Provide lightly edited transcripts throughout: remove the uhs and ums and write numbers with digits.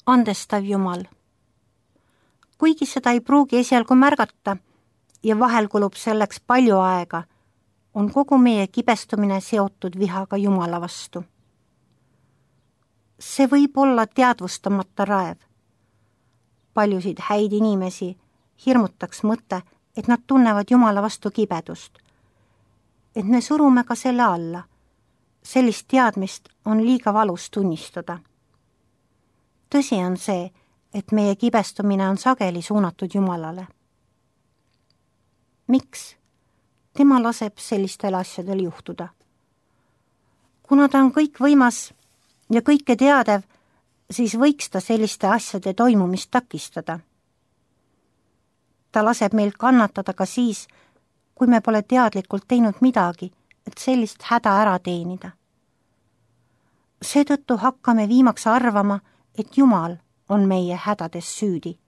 andestav Jumal. Kuigi seda ei pruugi esialgu märgata ja vahel kulub selleks palju aega, on kogu meie kibestumine seotud vihaga Jumala vastu. See võib olla teadvustamata raev. Paljusid häid inimesi hirmutaks mõte, et nad tunnevad Jumala vastu kibedust. Et me surume ka selle alla. Sellist teadmist on liiga valus tunnistada. Tõsi on see, et meie kibestumine on sageli suunatud Jumalale. Miks? Tema laseb sellistel asjadel juhtuda. Kuna ta on kõikvõimas ja kõike teadev, siis võiks ta selliste asjade toimumist takistada. Ta laseb meil kannatada ka siis, kui me pole teadlikult teinud midagi, et sellist häda ära teenida. Seetõttu hakkame viimaks arvama, et Jumal on meie hädades süüdi.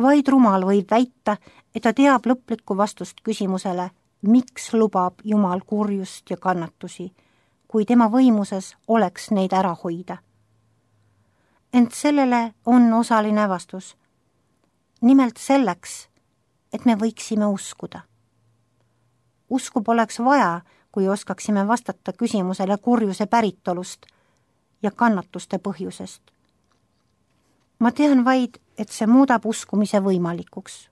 Vaid rumal võib väita, et ta teab lõplikku vastust küsimusele, miks lubab Jumal kurjust ja kannatusi, kui tema võimuses oleks neid ära hoida. Ent sellele on osaline vastus. Nimelt selleks, et me võiksime uskuda. Usku poleks vaja, kui oskaksime vastata küsimusele kurjuse päritolust ja kannatuste põhjusest. Ma tean vaid, et see muudab uskumise võimalikuks.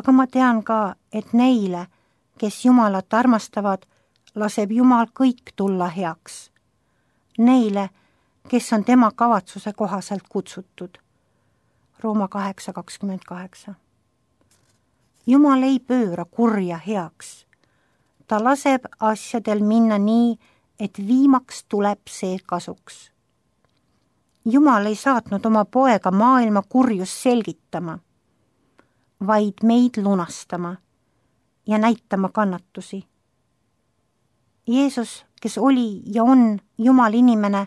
Aga ma tean ka, et neile, kes Jumalat armastavad, laseb Jumal kõik tulla heaks. Neile, kes on tema kavatsuse kohaselt kutsutud. Rooma 8:28. Jumal ei pööra kurja heaks. Ta laseb asjadel minna nii, et viimaks tuleb see kasuks. Jumal ei saatnud oma poega maailma kurjust selgitama, vaid meid lunastama ja näitama kannatusi. Jeesus, kes oli ja on Jumal inimene,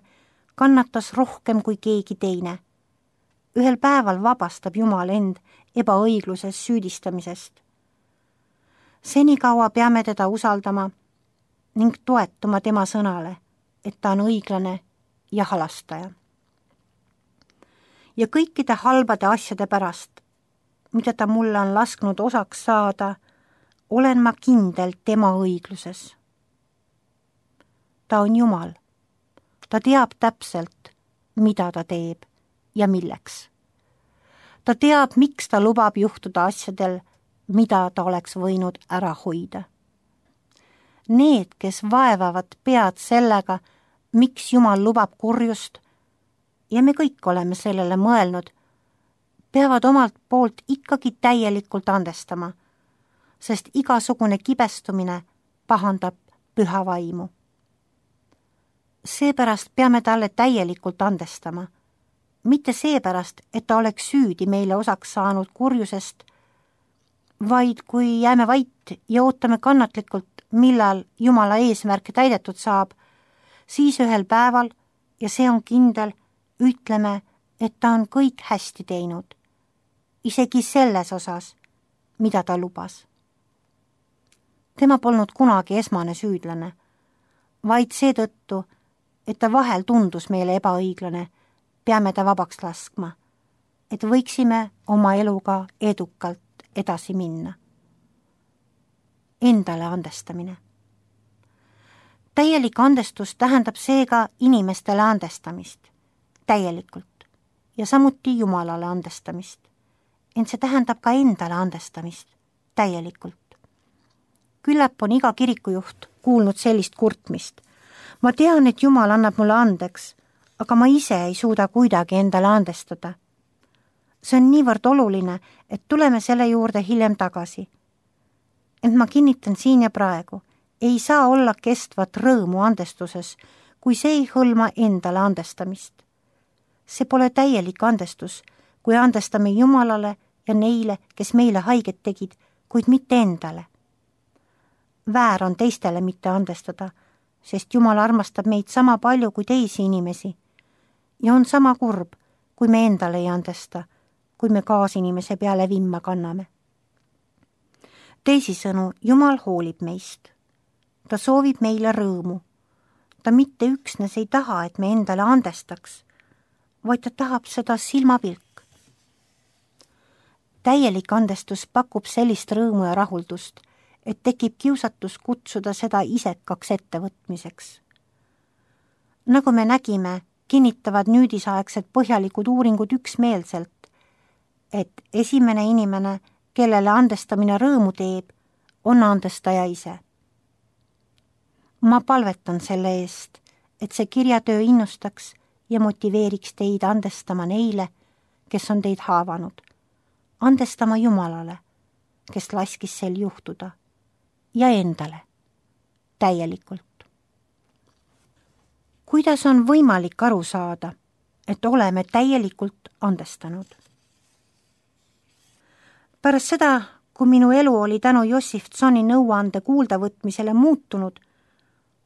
kannatas rohkem kui keegi teine. Ühel päeval vabastab Jumal end ebaõigluses süüdistamisest. Senikaua peame teda usaldama ning toetuma tema sõnale, et ta on õiglane ja halastaja. Ja kõikide halbade asjade pärast, mida ta mulle on lasknud osaks saada, olen ma kindel tema õigluses. Ta on Jumal. Ta teab täpselt, mida ta teeb ja milleks. Ta teab, miks ta lubab juhtuda asjadel, mida ta oleks võinud ära hoida. Need, kes vaevavad pead sellega, miks Jumal lubab kurjust, ja me kõik oleme sellele mõelnud, peavad omalt poolt ikkagi täielikult andestama, sest igasugune kibestumine pahandab püha vaimu. Seepärast peame talle täielikult andestama, mitte seepärast, et ta oleks süüdi meile osaks saanud kurjusest, vaid kui jääme vait ja ootame kannatlikult, millal Jumala eesmärk täidetud saab, siis ühel päeval, ja see on kindel, ütleme, et ta on kõik hästi teinud, isegi selles osas, mida ta lubas. Tema polnud kunagi esmane süüdlane, vaid seetõttu, et ta vahel tundus meile ebaõiglane, peame ta vabaks laskma, et võiksime oma eluga edukalt edasi minna. Endale andestamine. Täielik andestus tähendab seega inimestele andestamist, täielikult, ja samuti Jumalale andestamist. Ent see tähendab ka endale andestamist, täielikult. Küllap on iga kirikujuht kuulnud sellist kurtmist. Ma tean, et Jumal annab mulle andeks, aga ma ise ei suuda kuidagi endale andestada. See on niivõrd oluline, et tuleme selle juurde hiljem tagasi. Ent ma kinnitan siin ja praegu, ei saa olla kestvat rõõmu andestuses, kui see ei hõlma endale andestamist. See pole täielik andestus, kui andestame Jumalale ja neile, kes meile haiget tegid, kuid mitte endale. Väär on teistele mitte andestada, sest Jumal armastab meid sama palju kui teisi inimesi ja on sama kurb, kui me endale ei andesta, kui me kaasinimese peale vimma kanname. Teisisõnu, Jumal hoolib meist. Ta soovib meile rõõmu. Ta mitte üksnes ei taha, et me endale andestaks, vaid ta tahab seda silmapilk. Täielik andestus pakub sellist rõõmu ja rahuldust, et tekib kiusatus kutsuda seda isekaks ettevõtmiseks. Nagu me nägime, kinnitavad nüüdisaegsed põhjalikud uuringud üksmeelselt, et esimene inimene, kellele andestamine rõõmu teeb, on andestaja ise. Ma palvetan selle eest, et see kirjatöö innustaks ja motiveeriks teid andestama neile, kes on teid haavanud, andestama Jumalale, kes laskis sel juhtuda, ja endale täielikult. Kuidas on võimalik aru saada, et oleme täielikult andestanud? Pärast seda, kui minu elu oli tänu Jossif Tsoni nõuande kuuldavõtmisele muutunud,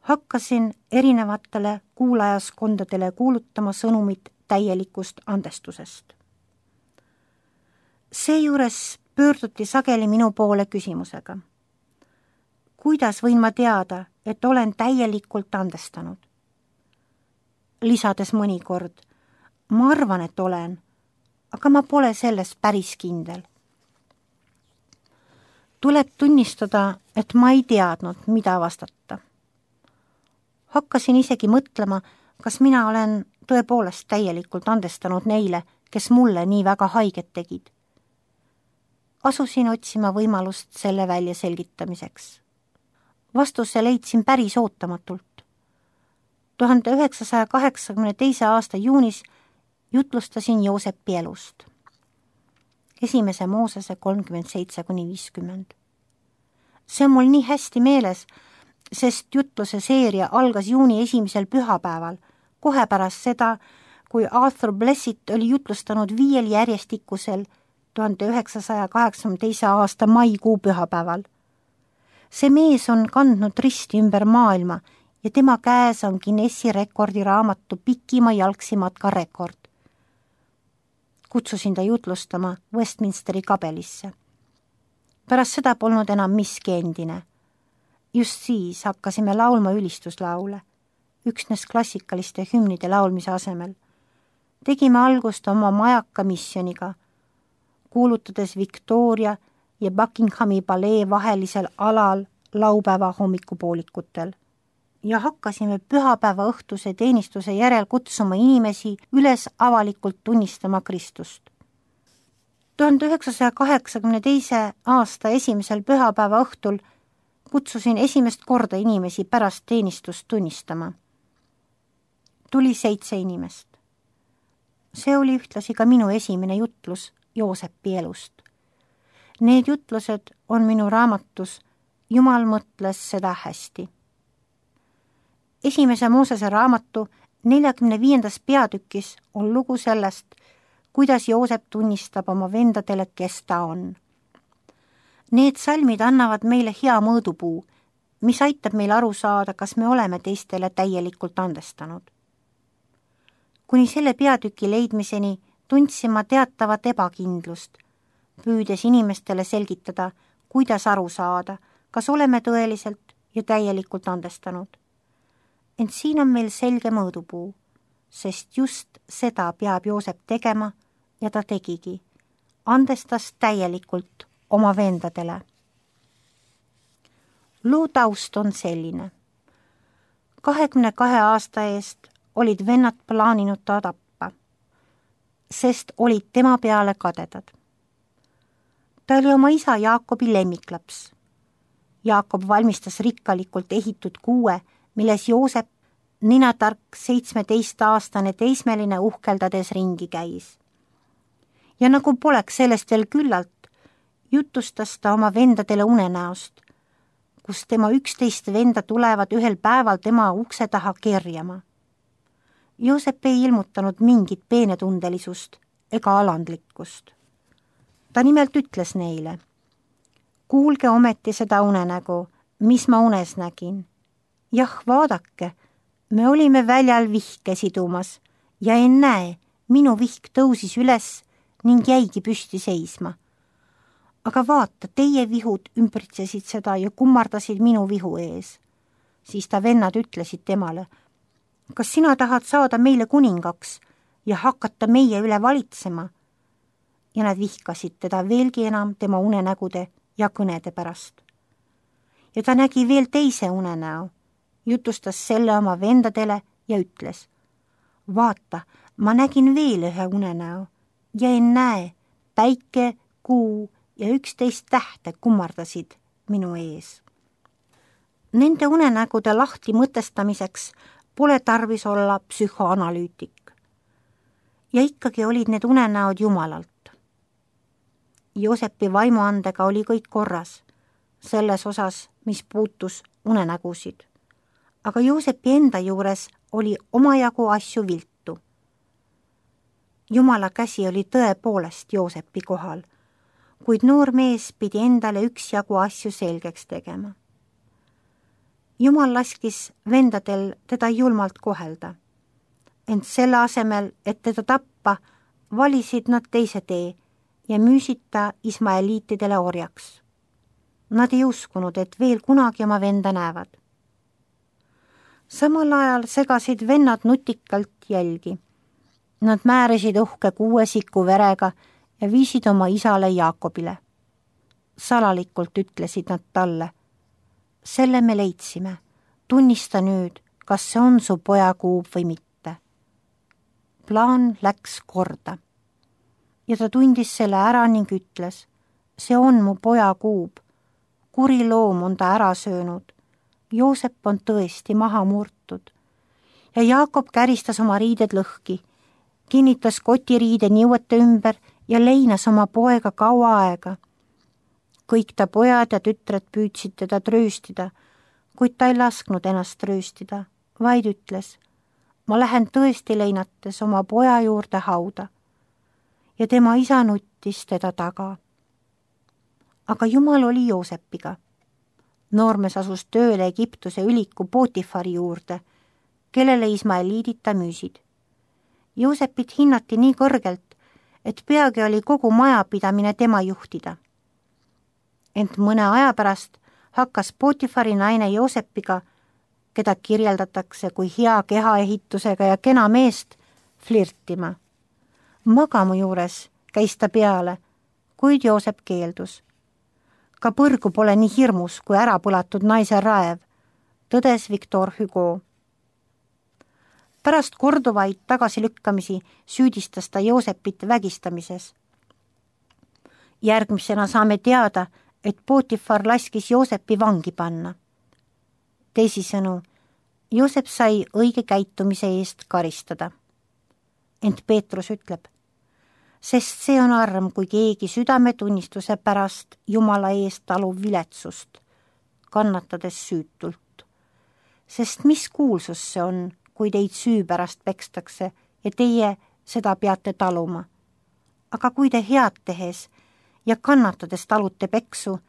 hakkasin erinevatele kuulajaskondadele kuulutama sõnumit täielikust andestusest. Seejuures pöörduti sageli minu poole küsimusega. Kuidas võin ma teada, et olen täielikult andestanud? Lisades mõnikord, ma arvan, et olen, aga ma pole selles päris kindel. Tuleb tunnistada, et ma ei teadnud, mida vastata. Hakkasin isegi mõtlema, kas mina olen tõepoolest täielikult andestanud neile, kes mulle nii väga haiget tegid. Asusin otsima võimalust selle välja selgitamiseks. Vastuse leidsin päris ootamatult. 1982. aasta juunis jutlustasin Joosepi elust. 1. Moosese 37-50. See on mul nii hästi meeles, sest jutluse seeria algas juuni 1. pühapäeval, kohe pärast seda, kui Arthur Blessitt oli jutlustanud 5 järjestikusel 1982. aasta maikuu pühapäeval. See mees on kandnud risti ümber maailma ja tema käes on Guinessi rekordiraamatu pikima jalgsimatka rekord. Kutsusin ta jutlustama Westminsteri kabelisse. Pärast seda polnud enam miski endine. Just siis hakkasime laulma ülistuslaule, üksnes klassikaliste hümnide laulmise asemel. Tegime algust oma majaka missiooniga, kuulutades Victoria ja Buckinghami palee vahelisel alal laupäeva hommikupoolikutel ja hakkasime pühapäeva õhtuse teenistuse järel kutsuma inimesi üles avalikult tunnistama Kristust. 1982. aasta 1. pühapäeva õhtul kutsusin esimest korda inimesi pärast teenistust tunnistama. Tuli 7 inimest. See oli ühtlasi ka minu esimene jutlus Joosepi elust. Need jutlused on minu raamatus Jumal mõtles seda hästi. 1. Moosese raamatu 45. peatükis on lugu sellest, kuidas Joosep tunnistab oma vendadele, kes ta on. Need salmid annavad meile hea mõõdupuu, mis aitab meil aru saada, kas me oleme teistele täielikult andestanud. Kuni selle peatüki leidmiseni tundsin ma teatavat ebakindlust, püüdes inimestele selgitada, kuidas aru saada, kas oleme tõeliselt ja täielikult andestanud. Ent siin on meil selge mõõdupuu, sest just seda peab Joosep tegema ja ta tegigi, andestas täielikult oma vendadele. Loo taust on selline. 22 aasta eest olid vennad plaaninud ta tappa, sest olid tema peale kadedad. Ta oli oma isa Jaakobi lemmiklaps. Jaakob valmistas rikkalikult ehitud kuue, milles Joosep, ninatark 17-aastane teismeline uhkeldades ringi käis. Ja nagu poleks sellest veel küllalt, jutustas ta oma vendadele unenäost, kus tema 11 venda tulevad ühel päeval tema ukse taha kerjama. Joosep ei ilmutanud mingit peenetundelisust ega alandlikkust. Ta nimelt ütles neile, kuulge ometi seda unenägu, mis ma unes nägin. Jah, vaadake, me olime väljal vihke sidumas ja ennäe, minu vihk tõusis üles ning jäigi püsti seisma. Aga vaata, teie vihud ümbritsesid seda ja kummardasid minu vihu ees. Siis ta vennad ütlesid temale, kas sina tahad saada meile kuningaks ja hakata meie üle valitsema. Ja nad vihkasid teda veelgi enam tema unenägude ja kõnede pärast. Ja ta nägi veel teise unenäo, jutustas selle oma vendadele ja ütles: vaata, ma nägin veel ühe unenäo ja ennäe, päike, kuu ja 11 tähte kummardasid minu ees. Nende unenägude lahti mõtestamiseks pole tarvis olla psühhoanalüütik. Ja ikkagi olid need unenäod Jumalalt. Joosepi vaimuandega oli kõik korras, selles osas, mis puutus unenägusid. Aga Joosepi enda juures oli omajagu asju viltu. Jumala käsi oli tõepoolest Joosepi kohal, kuid noor mees pidi endale üksjagu asju selgeks tegema. Jumal laskis vendadel teda julmalt kohelda, ent selle asemel, et teda tappa, valisid nad teise tee ja müüsid ta ismaeliitidele orjaks. Nad ei uskunud, et veel kunagi oma venda näevad. Samal ajal segasid vennad nutikalt jälgi. Nad määrisid uhke 6 siku verega ja viisid oma isale Jaakobile. Salalikult ütlesid nad talle: selle me leidsime, tunnista nüüd, kas see on su pojakuub või mitte. Plaan läks korda. Ja ta tundis selle ära ning ütles: see on mu pojakuub. Kuri loom on ta ära söönud. Joosep on tõesti maha murtud. Ja Jaakob käristas oma riided lõhki, kinnitas kotiriide niuete ümber ja leinas oma poega kaua aega. Kõik ta pojad ja tütred püüdsid teda trööstida, kuid ta ei lasknud ennast trööstida, vaid ütles: ma lähen tõesti leinates oma poja juurde hauda. Ja tema isa nuttis teda taga. Aga Jumal oli Joosepiga. Noormees asus tööle Egiptuse üliku Potifari juurde, kellele ismaeliidid ta müüsid. Joosepit hinnati nii kõrgelt, et peagi oli kogu majapidamine tema juhtida. Ent mõne aja pärast hakkas Potifari naine Joosepiga, keda kirjeldatakse kui hea kehaehitusega ja kena meest, flirtima. Magamu juures käis ta peale, kuid Joosep keeldus. Ka põrgu pole nii hirmus kui ärapõlatud naise raev, tõdes Victor Hugo. Pärast korduvaid tagasilükkamisi süüdistas ta Joosepit vägistamises. Järgmisena saame teada, et Potifar laskis Joosepi vangi panna. Teisisõnu, Joosep sai õige käitumise eest karistada. Ent Peetrus ütleb: sest see on arm, kui keegi südametunnistuse pärast Jumala eest talub viletsust, kannatades süütult. Sest mis kuulsus see on, kui teid süü pärast pekstakse ja teie seda peate taluma. Aga kui te head tehes ja kannatades talute peksu,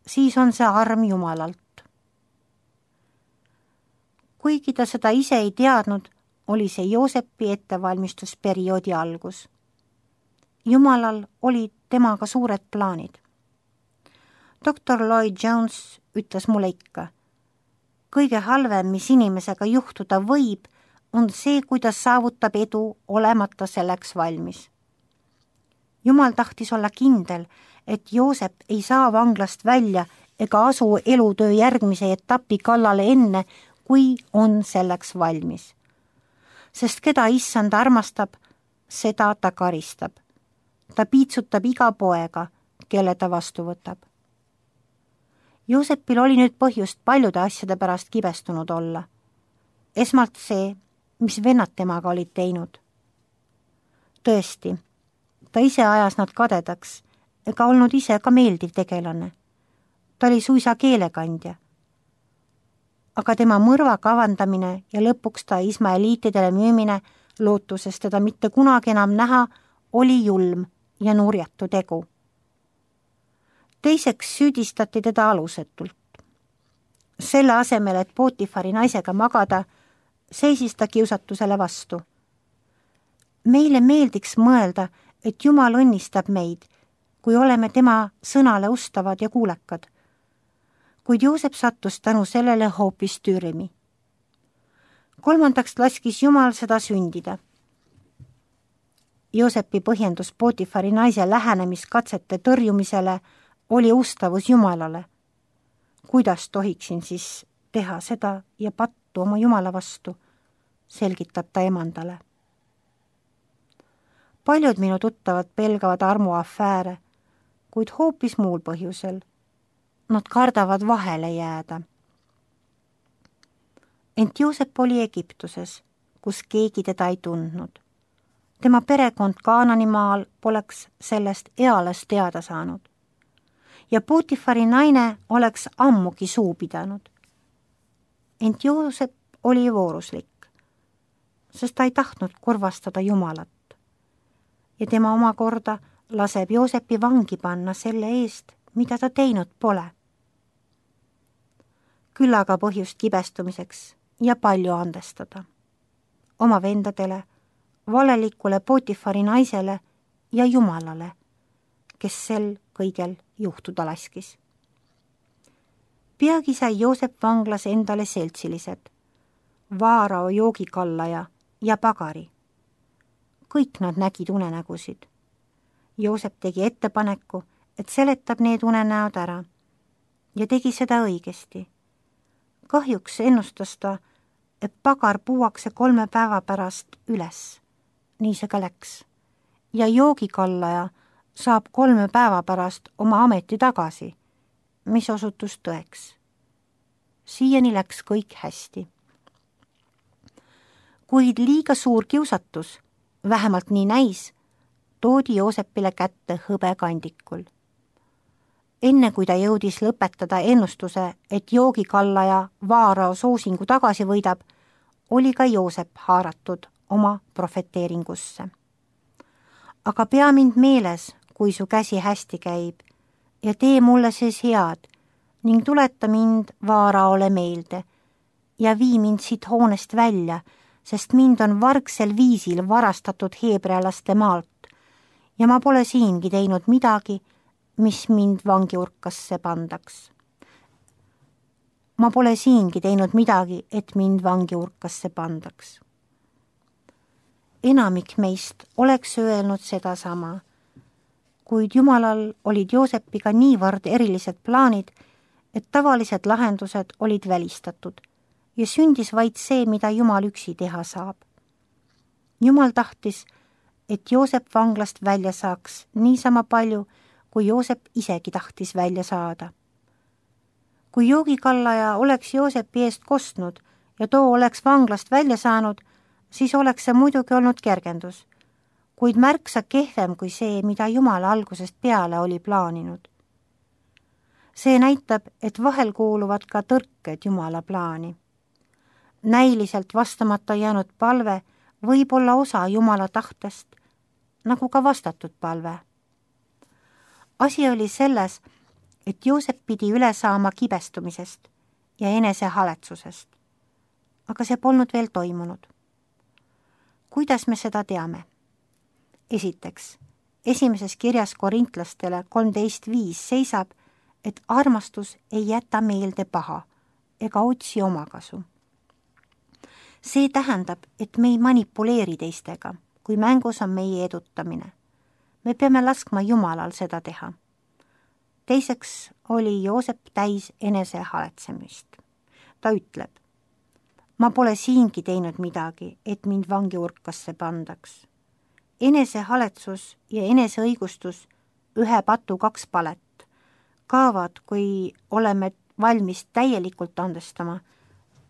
siis on see arm Jumalalt. Kuigi ta seda ise ei teadnud, oli see Joosepi ettevalmistusperioodi algus. Jumalal olid temaga suured plaanid. Dr. Lloyd Jones ütles mulle ikka: kõige halvem, mis inimesega juhtuda võib, on see, kui ta saavutab edu olemata selleks valmis. Jumal tahtis olla kindel, et Joosep ei saa vanglast välja ega asu elutöö järgmise etapi kallale enne, kui on selleks valmis. Sest keda issand armastab, seda ta karistab. Ta piitsutab iga poega, kelle ta vastu võtab. Joosepil oli nüüd põhjust paljude asjade pärast kibestunud olla. Esmalt see, mis vennad temaga olid teinud. Tõesti, ta ise ajas nad kadedaks ega olnud ise ka meeldiv tegelane. Ta oli suisa keelekandja. Aga tema mõrva kavandamine ja lõpuks ta ismaeliitidele müümine, lootuses teda mitte kunagi enam näha, oli julm ja nurjatu tegu. Teiseks süüdistati teda alusetult. Selle asemel, et Potifari naisega magada, seisis ta kiusatusele vastu. Meile meeldiks mõelda, et Jumal õnnistab meid, kui oleme tema sõnale ustavad ja kuulekad. Kuid Joosep sattus tänu sellele hoopis tüürimi. Kolmandaks laskis Jumal seda sündida. Joosepi põhjendus Potifari naise lähenemiskatsete tõrjumisele oli ustavus Jumalale. Kuidas tohiksin siis teha seda ja pattu oma Jumala vastu, selgitab ta emandale. Paljud minu tuttavad pelgavad armuafääre, kuid hoopis muul põhjusel. Nad kardavad vahele jääda. Ent Joosep oli Egiptuses, kus keegi teda ei tundnud. Tema perekond Kaananimaal poleks sellest eales teada saanud. Ja Potifari naine oleks ammugi suu pidanud. Ent Joosep oli vooruslik, sest ta ei tahtnud kurvastada Jumalat. Ja tema omakorda laseb Joosepi vangi panna selle eest, mida ta teinud pole. Küll aga põhjust kibestumiseks ja palju andestada. Oma vendadele, valelikule Potifari naisele ja Jumalale, kes sel kõigel juhtuda laskis. Peagi sai Joosep vanglas endale seltsilised, Vaarao joogikallaja ja pagari. Kõik nad nägid unenägusid. Joosep tegi ettepaneku, et seletab need unenäod ära ja tegi seda õigesti. Kahjuks ennustas ta, et pagar puuakse 3 päeva pärast üles. Nii see ka läks. Ja joogikallaja saab 3 päeva pärast oma ameti tagasi, mis osutus tõeks. Siiani läks kõik hästi. Kuid liiga suur kiusatus, vähemalt nii näis, toodi Joosepile kätte hõbekandikul. Enne kui ta jõudis lõpetada ennustuse, et joogikallaja Vaarao soosingu tagasi võidab, oli ka Joosep haaratud oma profeteeringusse. Aga pea mind meeles, kui su käsi hästi käib, ja tee mulle siis head ning tuleta mind Vaaraole meelde ja vii mind siit hoonest välja, sest mind on vargsel viisil varastatud heebrealaste maalt ja ma pole siingi teinud midagi, mis mind vangiurkasse pandaks. Ma pole siingi teinud midagi, et mind vangiurkasse pandaks. Enamik meist oleks öelnud sedasama, kuid Jumalal olid Joosepiga niivõrd erilised plaanid, et tavalised lahendused olid välistatud ja sündis vaid see, mida Jumal üksi teha saab. Jumal tahtis, et Joosep vanglast välja saaks niisama palju, kui Joosep isegi tahtis välja saada. Kui joogikallaja oleks Joosepi eest kostnud ja too oleks vanglast välja saanud, siis oleks see muidugi olnud kergendus, kuid märksa kehvem kui see, mida Jumal algusest peale oli plaaninud. See näitab, et vahel kuuluvad ka tõrked Jumala plaani. Näiliselt vastamata jäänud palve võib olla osa Jumala tahtest, nagu ka vastatud palve. Asi oli selles, et Joosep pidi üle saama kibestumisest ja enesehaletsusest, aga see polnud veel toimunud. Kuidas me seda teame? Esiteks, esimeses kirjas korintlastele 13.5 seisab, et armastus ei jäta meelde paha ega otsi omakasu. See tähendab, et me ei manipuleeri teistega, kui mängus on meie edutamine. Me peame laskma Jumalal seda teha. Teiseks oli Joosep täis enesehaletsemist. Ta ütleb, ma pole siingi teinud midagi, et mind vangiurkasse pandaks. Enesehaletsus ja eneseõigustus, 1 patu 2 palet, kaovad, kui oleme valmis täielikult andestama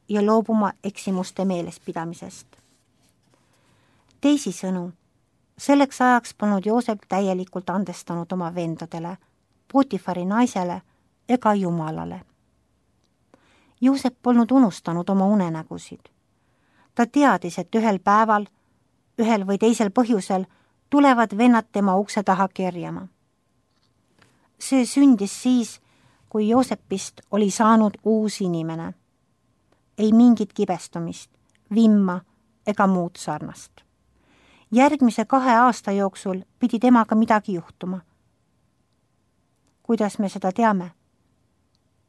ja loobuma eksimuste meelespidamisest. Teisisõnu, selleks ajaks polnud Joosep täielikult andestanud oma vendadele, Potifari naisele ega Jumalale. Joosep polnud unustanud oma unenägusid. Ta teadis, et ühel päeval, ühel või teisel põhjusel tulevad vennad tema ukse taha kerjama. See sündis siis, kui Joosepist oli saanud uus inimene. Ei mingit kibestumist, vimma ega muud sarnast. Järgmise 2 aasta jooksul pidi temaga midagi juhtuma. Kuidas me seda teame?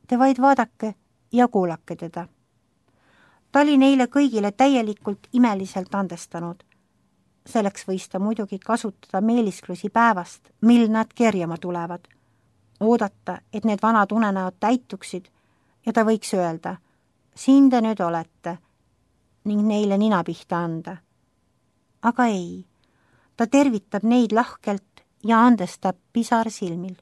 Te vaid vaadake ja kuulake teda. Ta oli neile kõigile täielikult imeliselt andestanud, Selleks võis ta muidugi kasutada meelisklusi päevast, mil nad kerjama tulevad, oodata, et need vanad unenäod täituksid ja ta võiks öelda, siin te nüüd olete, ning neile nina pihta anda. Aga ei, ta tervitab neid lahkelt ja andestab pisar silmil.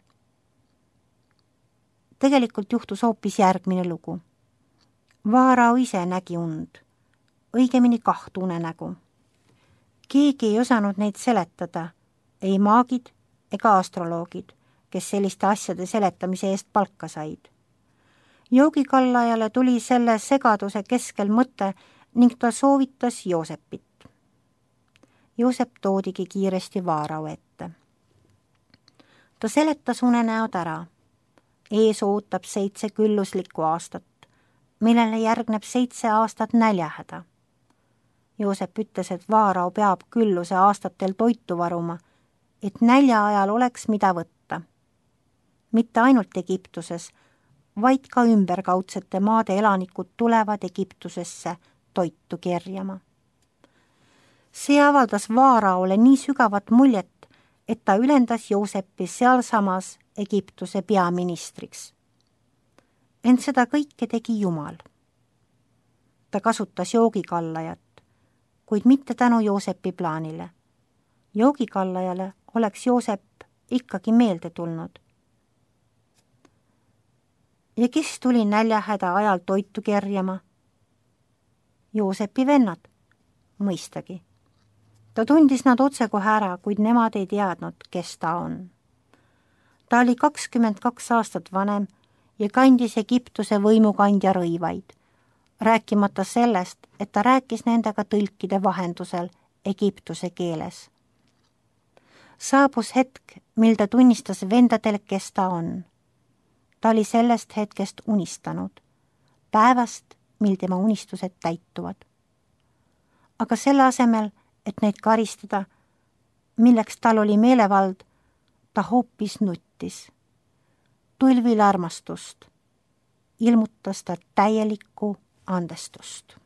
Tegelikult juhtus hoopis järgmine lugu. Vaarao ise nägi und, õigemini 2 unenägu. Keegi ei osanud neid seletada, ei maagid ega astroloogid, kes selliste asjade seletamise eest palka said. Joogikallajale tuli selle segaduse keskel mõte ning ta soovitas Joosepit. Joosep toodigi kiiresti Vaarao ette. Ta seletas unenäod ära. Ees ootab 7 külluslikku aastat, millele järgneb 7 aastat näljahäda. Joosep ütles, et Vaarao peab külluse aastatel toitu varuma, et nälja ajal oleks mida võtta. Mitte ainult Egiptuses, vaid ka ümberkaudsete maade elanikud tulevad Egiptusesse toitu kerjama. See avaldas Vaaraole nii sügavat muljet, et ta ülendas Joosepi sealsamas Egiptuse peaministriks. Ent seda kõike tegi Jumal. Ta kasutas joogikallajat, kuid mitte tänu Joosepi plaanile. Joogikallajale oleks Joosep ikkagi meelde tulnud. Ja kes tuli näljahäda ajal toitu kerjama? Joosepi vennad, mõistagi. Ta tundis nad otsekohe ära, kuid nemad ei teadnud, kes ta on. Ta oli 22 aastat vanem ja kandis Egiptuse võimukandja rõivaid, rääkimata sellest, et ta rääkis nendega tõlkide vahendusel Egiptuse keeles. Saabus hetk, mil ta tunnistas vendadele, kes ta on. Ta oli sellest hetkest unistanud, päevast, mil tema unistused täituvad. Aga selle asemel, et neid karistada, milleks tal oli meelevald, ta hoopis nuttis. Tulvil armastust ilmutas ta täielikku andestust.